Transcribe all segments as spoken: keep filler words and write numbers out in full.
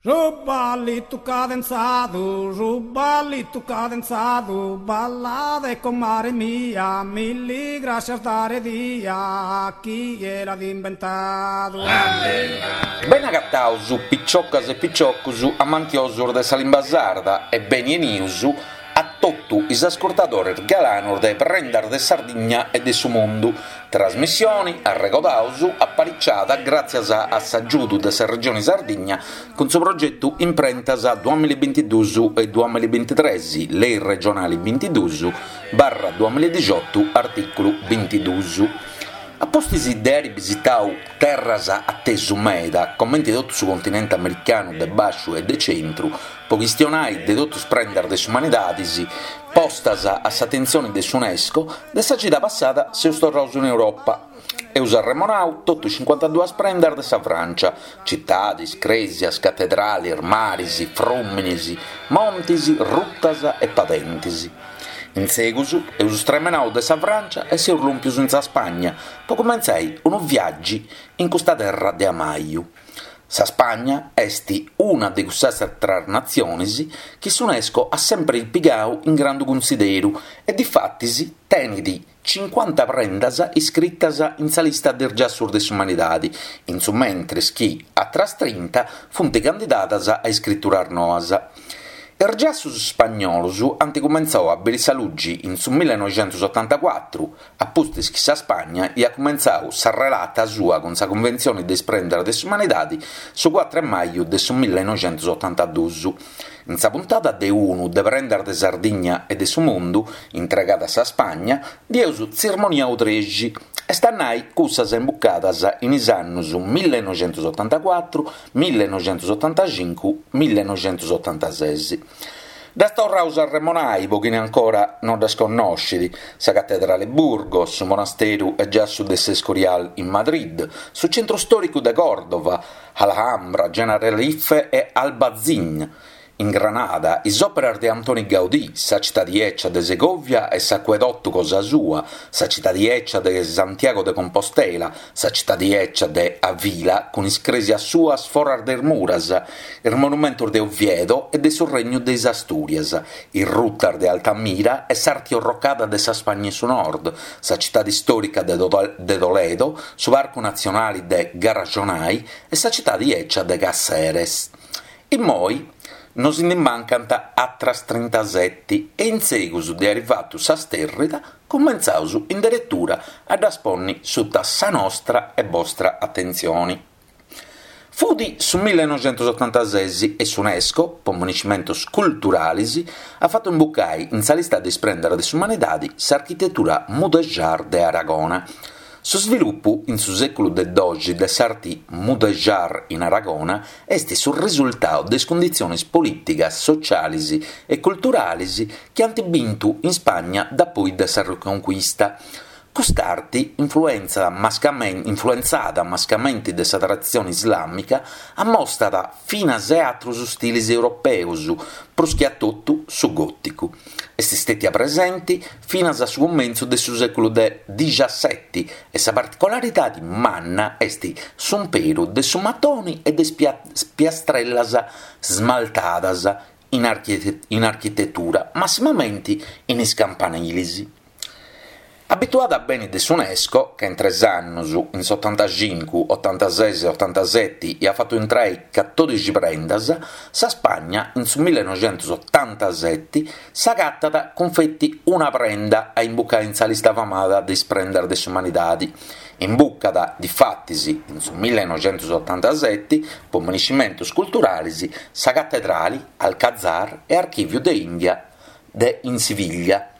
Su ballitu cadenzadu, su ballitu cadenzadu, ballade comare mia, milli grascias dare dia, chie l'at imbentadu. Beni agataus piciocas e piciocus amantiosus de sa limba sarda e beni 'enius a totu is ascurtadores galanos de Prendas de Sardigna e de su Mundu, trasmissione, arregodaus, apariciada gràtzias a s'agiudu de sa Regione Sardigna cun su progetu Imprentas duamilla e bintiduus e duamilla e bintitres, Lei regionale bintiduus barra duamilla e dixiotu, artìculu bintiduus. A pustis de àere bisitadu terras a tesu meda, comente totu su continente americanu de bàsciu e de centru, pro chistionare de totu is prendas de s'umanidade postas a s'atentzione de s'UNESCO, de sa cida passada seus torrados in Europa. Eus arremonadu totu is cincuantaduas prendas de sa Frància, citades, crèsias, catedrales, mares, frùmenes, montes, rutas e padentes. In segus eus stremenadu de sa Frància e seus lòmpios in sa Spagna pro cumentzare unu viàgiu in custa terra de amaju. Sa Spagna est una de cussas àteras natziones chi s'UNESCO at semper pigadu in grandu cunsideru e difatis tenet cincuanta prendas iscritas in sa lista de is giassos de s'umanidade, in su mentres chi àteras trinta funt candidadas a iscrituras noas. Is giassos ispagnolos ant cumentzadu a bìdere sa luge in su millenoixentosotantacuatru, a pustis chi sa Spagna aiat cumentzadu sa relata sua cun sa Cunventzione de is Prendas de s'Umanidade su cuatru 'e maju de su millenoixentosotantaduos. In sa puntada de unu de Prendas de Sardigna e de su Mundu, intregada a sa Spagna, nd'eus tzirmoniadu trexi, est a nai cussas imbucadas in is annos millenoixentosotantacuatru, millenoixentosotantacincu, millenoixentosotantases. Ddas torraus a arremonai pro chini ancora no ddas connoscit: sa Catedrale Burgos, su monasteru e giassu de s'Escorial in Madrid, su centru stòricu de Còrdova, Alhambra, Generalife e Albaicín in Granada, is òperas de Antoni Gaudí, sa citadi 'ecia de Segovia e s'acuedotu cosa sua, sa citadi 'ecia de Santiago de Compostela, sa citadi 'ecia de Avila cun is crèsias suas foras de is muras, is monumentos de Oviedo e de su Regnu de is Astùrias, is rutas de Altamira e s'arti orrocada de sa Spagna 'e su Nord, sa citadi istòrica de Toledo, su Parcu Natzionale de Garajonay e sa citadi 'ecia de Cáceres. Immoi nos ndi mancant àteras trintaseti e in segus de àere fatu sa stèrrida cumentzaus in deretura a ddas ponni suta sa nostra e bostra atentzione. Fut su millenoixentosotantases e s'UNESCO, po moniscimentos culturales, at fatu imbucare in sa lista de is prendas de s'umanidade s'architetura mudéjar de Aragona. Su svilupu in su sèculu de doxi de s'arte mudéjar in Aragona est su risultadu de is cunditziones polìticas, sotziales e culturales chi ant bintu in Spagna dapoi de sa Reconquista. Cust'arte, influentzada mascamente de sa traditzione islàmica, ammostat finas e àteros istiles europeos, prus che a totu su gòticu. Est istètia presente finas a su cumentzu de su sèculu de dixaseti e sa particularidade manna est s'umperu de su matone e de is piastrellas smaltadas in architetura, massimamente in is campaniles. Abituada bene de s'UNESCO, ca in tres annos, in s'otantacincu, otantases e otantaseti, iat fatu intrare catòdixi prendas, sa Spagna in su millenoixentosotantaseti s'agatat cun feti una prenda a imbucare in sa lista famada de is prendas de s'umanidade. Imbucat, difatis, in su millenoixentosotantaseti, po moniscimentos culturales, sa Catedrale, Alcazar e Archìviu de Ìndia de in Siviglia.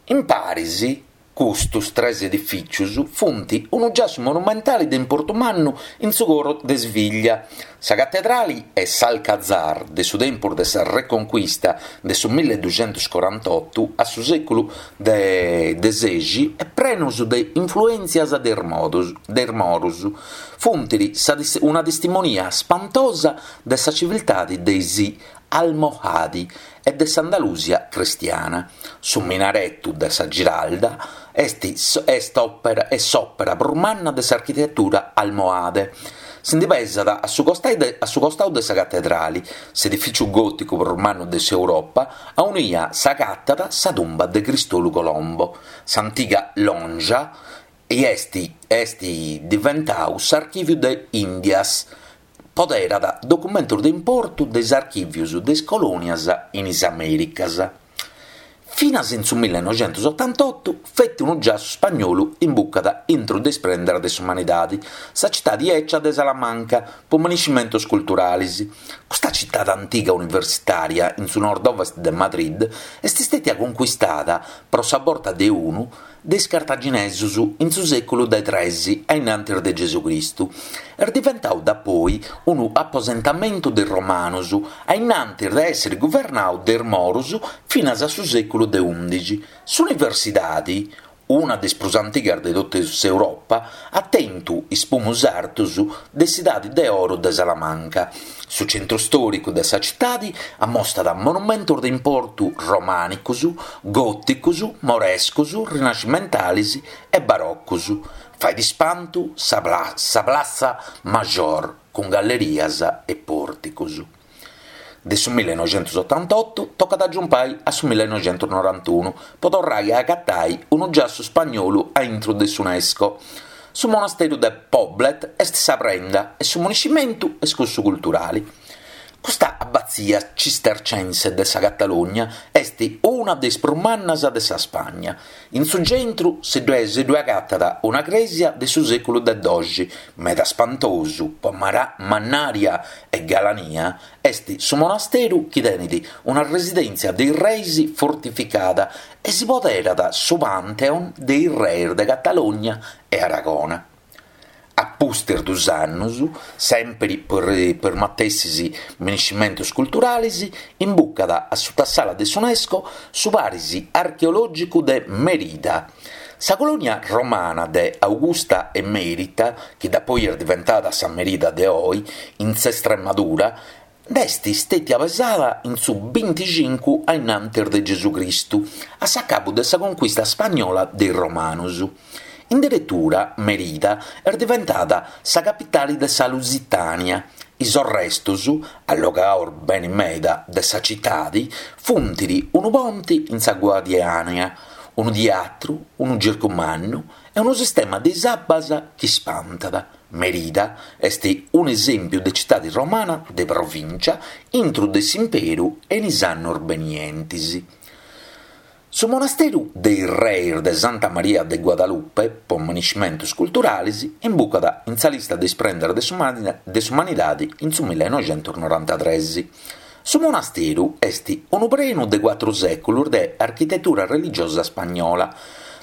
In paris, custos tres edifìtzios funt unu giassu monumentale de importu mannu in su coro de Siviglia. Sa catedrale e s'Alcazar de su tempus de sa Reconquista de su milleduxentoscorantotu a su sèculu de de sexi e prenos de influèntzias de is modos de is moros funt sa una testimonia spantosa de sa civiltade de is Almohadi e de s'Andalusia cristiana. Su minaretu de sa Giralda est est òpera est s'òpera prus manna de s'architetura almohade. Si ndi pesat a su a su costau de sa catedrali, s'edifìtziu gòticu prus mannu de s'Europa, aunia s'agatat sa tumba de Cristolu Colombo. S'antiga Lonja est est diventau s'Archìviu de Ìndias, poderat documentos de importu de is archìvios de is colònias in is Amèricas. Finas in su millenoixentosotantotu feti unu giassu spagnolu imbucat intro de is prendas de s'umanidade, sa citade 'ecia de Salamanca, po miniscimentos culturales. Custa citade antiga universitària in su nord-ovest de Madrid est istètia conquistada pro sa borta de unu de is cartaginesos in su sèculu de tres a innantis de Gesù Cristu. Est diventadu dapoi unu aposentamentu de is romanos a innantis de èssere guvernadu de is moros finas a su sèculu de ùndixi. S'universidade, una de is prus antigas de totu s'Europa, at tentu is pumus artos de s'edade de oro de Salamanca. Su centru stòricu de sa citade ammostat monumentos de importu romànicos, gòticos, morescos, rinascimentales e barocos. Fait ispantu sa sa Plaza Mayor, cun gallerias e pòrticos. De su millenoixentosotantotu tocat a giumpai a su millenoixentonorantunu po torrai a agatai unu giassu spagnolu a intro de s'UNESCO. Su monasteru de Poblet est sa prenda e su muniscimentu est cussu culturale. Custa abbazia cistercense de sa Catalogna est una de is prus mannas de sa Spagna. In su centru si ddue agatat una crèsia de su sèculu de doxi, meda spantosu po mannària e galania, est su monasteru chi tenet una residèntzia de is reis fortificada e si poderat su Pantheon de is reis de Catalogna e Aragona. A pustis dus annos, sempre per, per matessis miniscimentos culturales, imbucat a sutasala de s'UNESCO su paris archeològicu de Merida. Sa colonia romana de Augusta Emerita, chi da poi est diventada sa Merida de oi, in s'Estremadura, nd'est istètia pesada in su binticincu a innantis de Gesù Cristu, a s'acabu de sa conquista spagnola de is romanos. In deretura, Merida est diventada sa capitale de sa Lusitània. Is arrestos, allogados bene meda de sa citade, funt unu ponte in sa Guadiana, unu teatru, unu circu mannu e unu sistema de is abbas chi spantat. Merida est un esèmpiu de citade romana de provincia intro de s'imperu e in is annos benientes. Su monasteru de is Reis de Santa Maria de Guadalupe, po miniscimentos culturales, imbucat in sa lista de is prendas de s'umanidade in su millenoixentonorantatrès. Su monasteru est unu prenu de cuatru sèculos de architetura religiosa spagnola.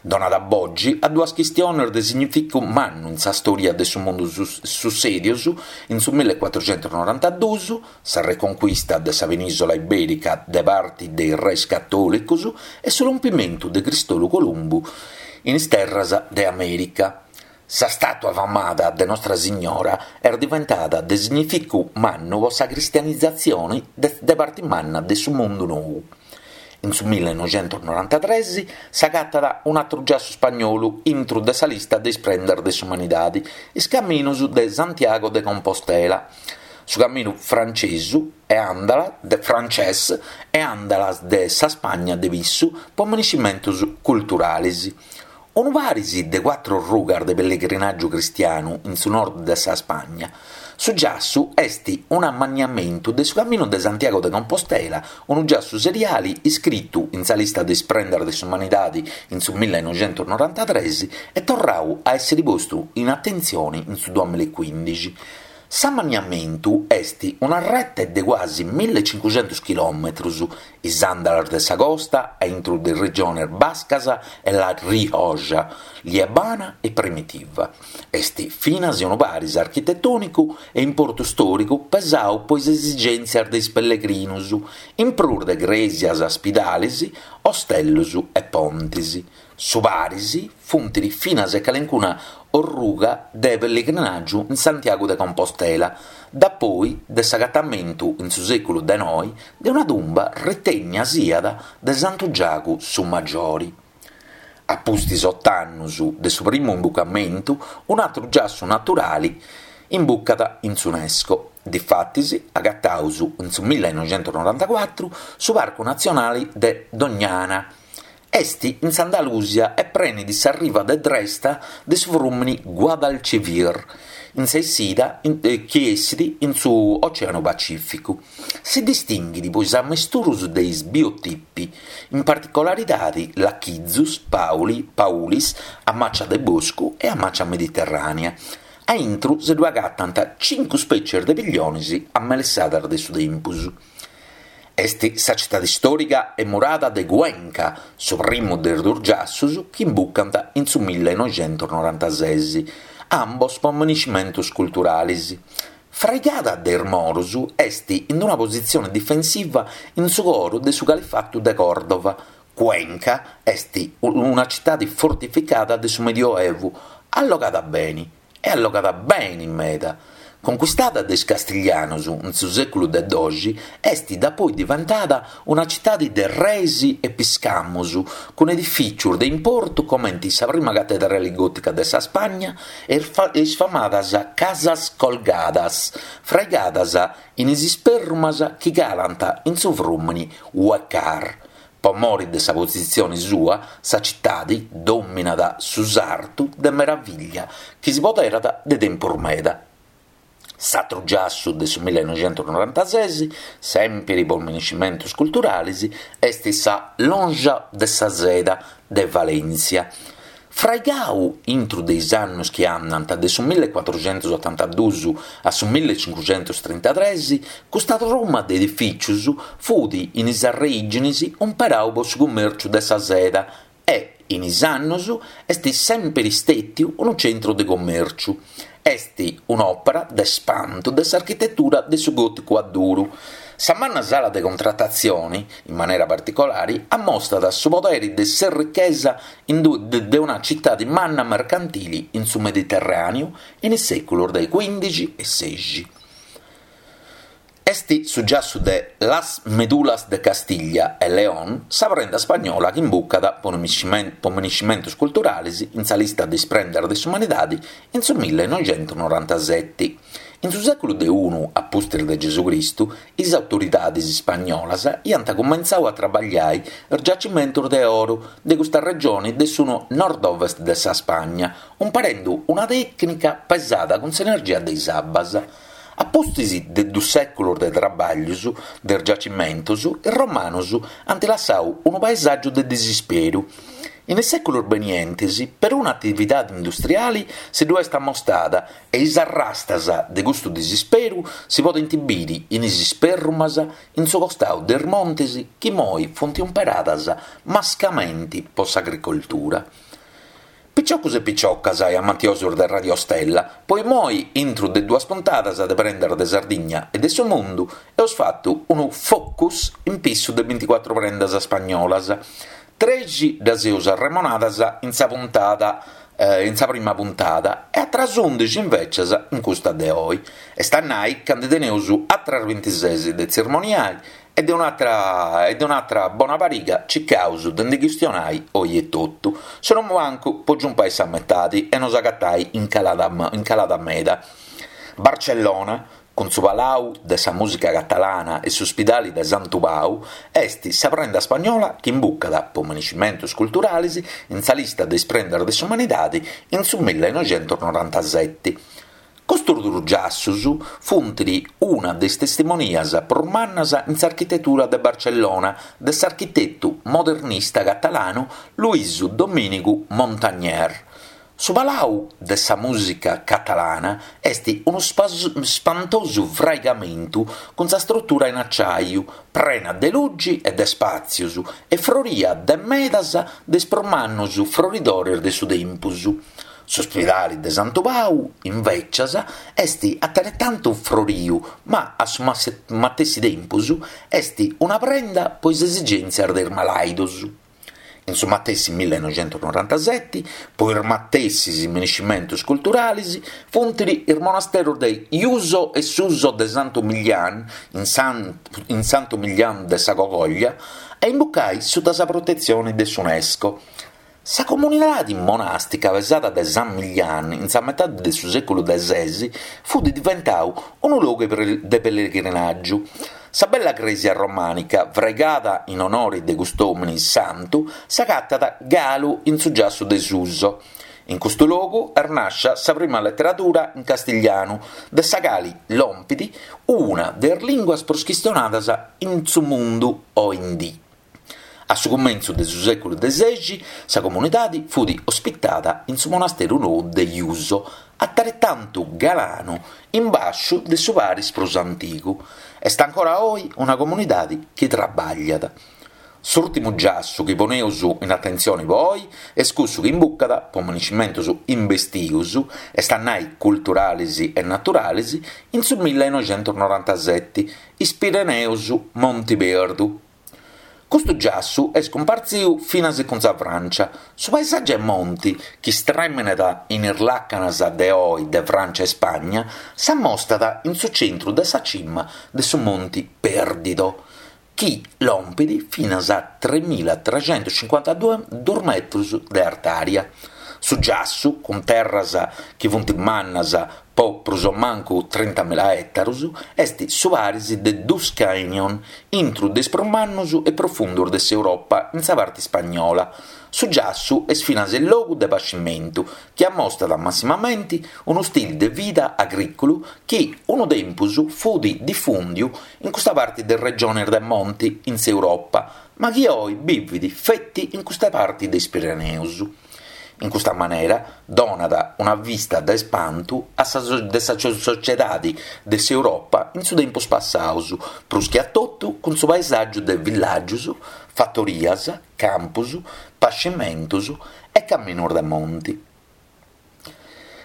Donat bogi a duas chistiones de significu mannu in sa storia de su mundu sussèdios in su millecuatrucentonorantaduos, sa reconquista de sa penisola iberica de parte de is reis catòlicos e su rompimentu de Cristolu Columbu in is terras de Amèrica. Sa statua famada de Nostra Signora est diventada de significu mannu po sa cristianizatzione de, de parte manna de su mundu nou. In su millenoixentonorantatrès s'agatat un atru giassu spagnolu intro de sa lista de is prendas de s'umanidade, is caminos de Santiago de Compostela. Su caminu francesu e andala de frances e andalas de sa Spagna de Pissu po miniscimentos culturales. Unu paris de cuatru rugas de pellegrinàgiu cristianu in su nord de sa Spagna. Su giassu est un ammaniamentu de su Caminu de Santiago de Compostela, unu giassu seriale iscritu in sa lista de is prendas de s'umanidade in su millenoixentonorantatrès e torrau a essere postu in atentzione in su duamillaecuindixi. S'ammaniamentu est una rete de quasi millecincucentos chilòmetros, is andalas de sa costa, a intro de regiones bascas e la Rioja, Liebana e Primitiva. Est finas unu paris architetònicu e importu stòricu pesau po is esigèntzias de is pellegrinos, in prus de crèsias, ospidales, ostellos e pontes. Su paris funt finas e calencuna orruga de pellegrinàgiu in Santiago de Compostela, da poi de s'agatamentu in su sèculu de noi de una tumba ritènnia siat de Santu Giagu su Maggiori. A pustis oto annos de su primu imbucamentu, un atru giassu naturale imbucat in s'UNESCO. Difatis, agataus in su millinoixentusnorantacuatru su Parcu Natzionale de Doñana. Est in s'Andalusia e prenit sa riva de dresta de su frùmene Guadalquivir, in sa essida chi essit in su Ocèanu Pacìficu. Si distinghit pro is ammesturus de is biotipi, in particularidade lachizus, pauli, paulis, a màcia de boscu e a màcia mediterrànea. A intro si ddu agatant cincu spètzies de pilliones amelessadas de su tempus. Est sa citade istòrica e murada de Cuenca, su primu de is duos giassos chi imbucant in su millinoixentusnorantases, ambos pro minescimentos culturales. Fraigada de is moros, est in una positzione difensiva in su coro de su Califatu de Còrdova. Cuenca est una citade fortificada de su Medioevu, allogada bene, e allogada bene meda. Conquistada de is castiglianos in su sèculu de doxi, est dapoi diventada una citade de reis e piscamos, cun edifìtzios de importu comente sa prima catedrale gòtica de sa Spagna e is famadas Casas Colgadas, fraigadas in is isperrumas chi calant in su frùmene Huécar. Po more de sa positzione sua, sa citade dòminat su sartu de meravìllia chi si poderat de tempus meda. S'atru giassu de su millinoixentusnorantases, sèmpere pro minescimentos culturales, est sa Lonja de sa Seda de Valèntzia. Fraigadu intro de is annos chi andant de su millecuatruxentusotantaduos a su millecincuxentustrintatres, custa truma de edifìtzios fut in is arreìgines imperadu pro su cummèrciu de sa seda e, in is annos, est sèmpere istètiu unu tzentru de cummèrciu. Est un'òpera de spantu de s'architetura de su gòticu a duru. Sa manna sala de contratatzione, in manera particolare, ammostrat su podere de s'errichesa de una citade manna mercantile in su Mediterràneu in is sèculos de quìndixi e sèixi. Est su giassu de Las Medulas de Castiglia e León sa prenda spagnola chi imbucat pro minescimentos culturales in sa lista de is prendas de s'umanidade in su millinoixentusnorantasete. In su sèculu de unu a pustis de Gesù Cristu, is autoridades ispagnolas iant cumentzadu a trabagliare is giacimentos de oro de custa regione de su nord-ovest de sa Spagna, imparende una tècnica pesada cun s'energia de is abbas. A pustis de duos sèculos de traballos de is giacimentos, is romanos ant lassadu unu paesàgiu de disisperu. In is sèculos benientes, peruna atividade industriale si ddu est ammostrada e is arrastas de custu disisperu si podent bìdere in is isperrumas in su costadu de is montes chi moi funt imperadas mascamente pro s'agricoltura. Piciocos e piciocas e amantiosos de Radio Stella, po imoi intro de duas puntadas de Prendas de Sardigna e de su Mundu eus fatu unu focus in pissu de binticuatru prendas spagnolas. Trexi ddas eus arremonadas in sa puntada in sa prima puntada e atras undixi invecias in custa de oi. Est a nai ca ndi teneus atras bintises de tzirmoniai e de un'atra e de un'atra bona pariga circaus de ndi chistionai oi etotu. Se non mancu po giumpai sa metadi e nos agatai in calada, in calada meda. Barcellona, cun su Palau de sa Mùsica Catalana e s'Ospidale de Santu Pau, est sa prenda spagnola chi imbucat pro minescimentos culturales in sa lista de is prendas de s'umanidade in su millinoixentusnorantasete. Custos duos giassos funt una de is testimonias prus mannas in s'architetura de Barcellona de s'architetu modernista catalanu Luisu Domìnigu Montagner. Su Palau de sa Mùsica Catalana est unu spantosu fraigamentu cun sa strutura in acciaiu, prena de lugi e de spàtzios e froria de medas de is prus mannos froridores de su tempus. S'ospidale de Santu Pau, invecias, est ateretantu froriu, ma a su matessi tempus est una prenda pro is esigèntzias de is malàidos. In su matessi millinoixentusnorantasete, pro is matessis minescimentos culturales, funt is monasteros de Iuso e Suso de Santu Millán, in, San, in Santu Millán de sa Cogoglia, a imbucai sutta sa protetzione de s'UNESCO. Sa comunidade monàstica pesada dae San Millán in sa metade de su sèculu de ses fut diventadu unu logu de pellegrinàgiu. Sa bella crèsia romànica, fraigada in onore de cust'òmine santu, s'agatat galu in su giassu de Suso. In custu logu est nàschida sa prima leteradura in castiglianu, de sa cale lompit una de is lìnguas prus chistionadas in su mundu oe in die. A su cumentzu de su sèculu de sexi, sa comunidade fut ospitada in su monasteru nou de Yuso, ateretantu galanu, in bàsciu de su paris prus antigu. Est ancora oe una comunidade chi traballat. S'ùrtimu giassu chi poneus in atentzione po oe est cussu chi imbucat po maniscimentos imbestios, est a nai culturales e naturales, in su millenoixentonorantasete, is Pireneus Montiperdu. Custu giassu est cumpartzidu finas cun sa Francia. Su paesàgiu 'e monti, chi istremenat in is làcanas de oe de Francia e Spagna, s'ammostat in su centru de sa cima de su Monti Perdido, chi lompit finas a tremilatrecentocincuantaduos metros de artària. Su giassu, cun terras chi funt mannas po prus o mancu trintamila ètaros, est su paris de dus canyon, intro de is prus mannos e profundos de s'Europa in sa parte ispagnola. Su giassu est finas logu de pascimentu, chi ammostat massimamente unu stile de vida agrìculu chi unu tempus fut difùndiu in custa parte de regiones de monte in s'Europa, ma chi oe bivet feti in custa parte de is Pireneus. In custa manera donat una vista de ispantu a sa de sa sotziedade de s'Europa in su tempus passadu, prus che a totu cun su paesàgiu de villàgios, fatorias, campos, pascimentos e caminos de monte.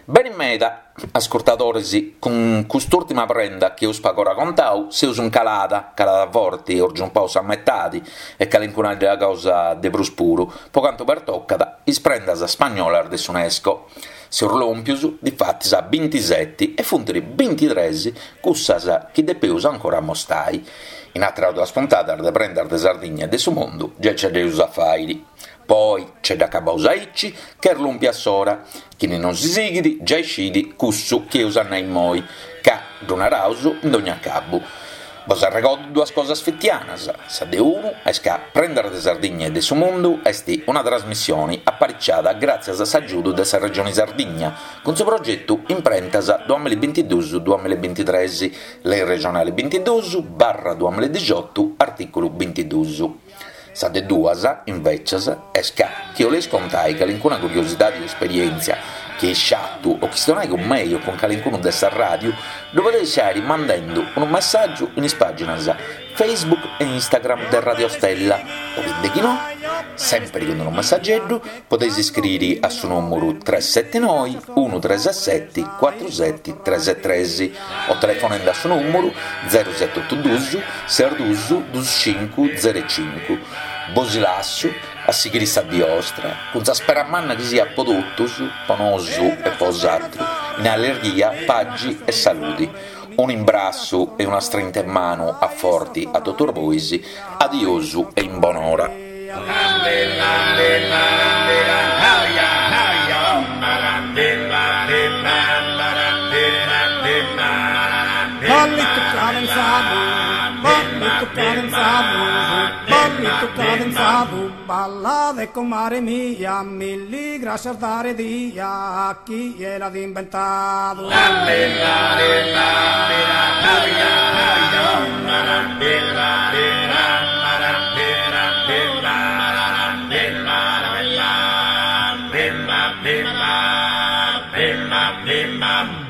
Bene meda, ascurtadores, cun cust'ùrtima prenda chi eus pagora contadu, seus in calada, calada forte, eus giumpadu sa metade e calincuna cosa de prus puru, po cantu pertocat is prendas spagnolas de s'UNESCO. Seus lòmpios, difatis, a bintisete e funt bintitrès cussas chi depeus ancora mostai. In àteras duas puntadas de Prendas de Sardigna e de su Mundu già ce dd'eus a fàiri. Poi ce dd'acabaus aici, che est lòmpia s'ora. Chini non si sighit giai scit cussu chi eus a nai immoi, ca ddu naraus in dogna cabu. Bos arregordo duas cosas fitianas. Sa de unu est ca Prendas de Sardigna e de su Mundu est una trasmissione apariciada gràtzias a s'agiudu de sa Regione Sardigna cun su progetu Imprentas duamillabintiduos-duamillabintitrès, Lei regionale bintiduos barra duamilladixotu, artìculu bintiduos. Sa de duas, invecias, est ca chi 'oleis contai calincuna curiosidade o esperièntzia chi eis sciatu o chistionai cun mei o cun calincunu de sa ràdiu, ddu podeis fàiri mandende unu messàgiu in is pàginas Facebook e Instagram de Radio Stella, o de chi no, sempre cun unu messageddu, podeis iscriri a su nùmeru tres sete noe unu tres sete cuatru sete tres tres o telefonende a su nùmeru zero sete otu duus ses duus duus cincu zero cincu. Bos lassu a sighire sa die 'ostra, cun sa spera manna chi siat po totus, po nosu e po s'atru, in allegria, pagi e saludi. Un imbrassu e una strinta in manu a forti a totus bois, adiosu e in bonora. Ballito cadenzado, ballito cadenzado, ballito cadenzado, balla de comare mia, milli gracias dare dia a chi l'ha inventato. Bimba, bimba, bimba.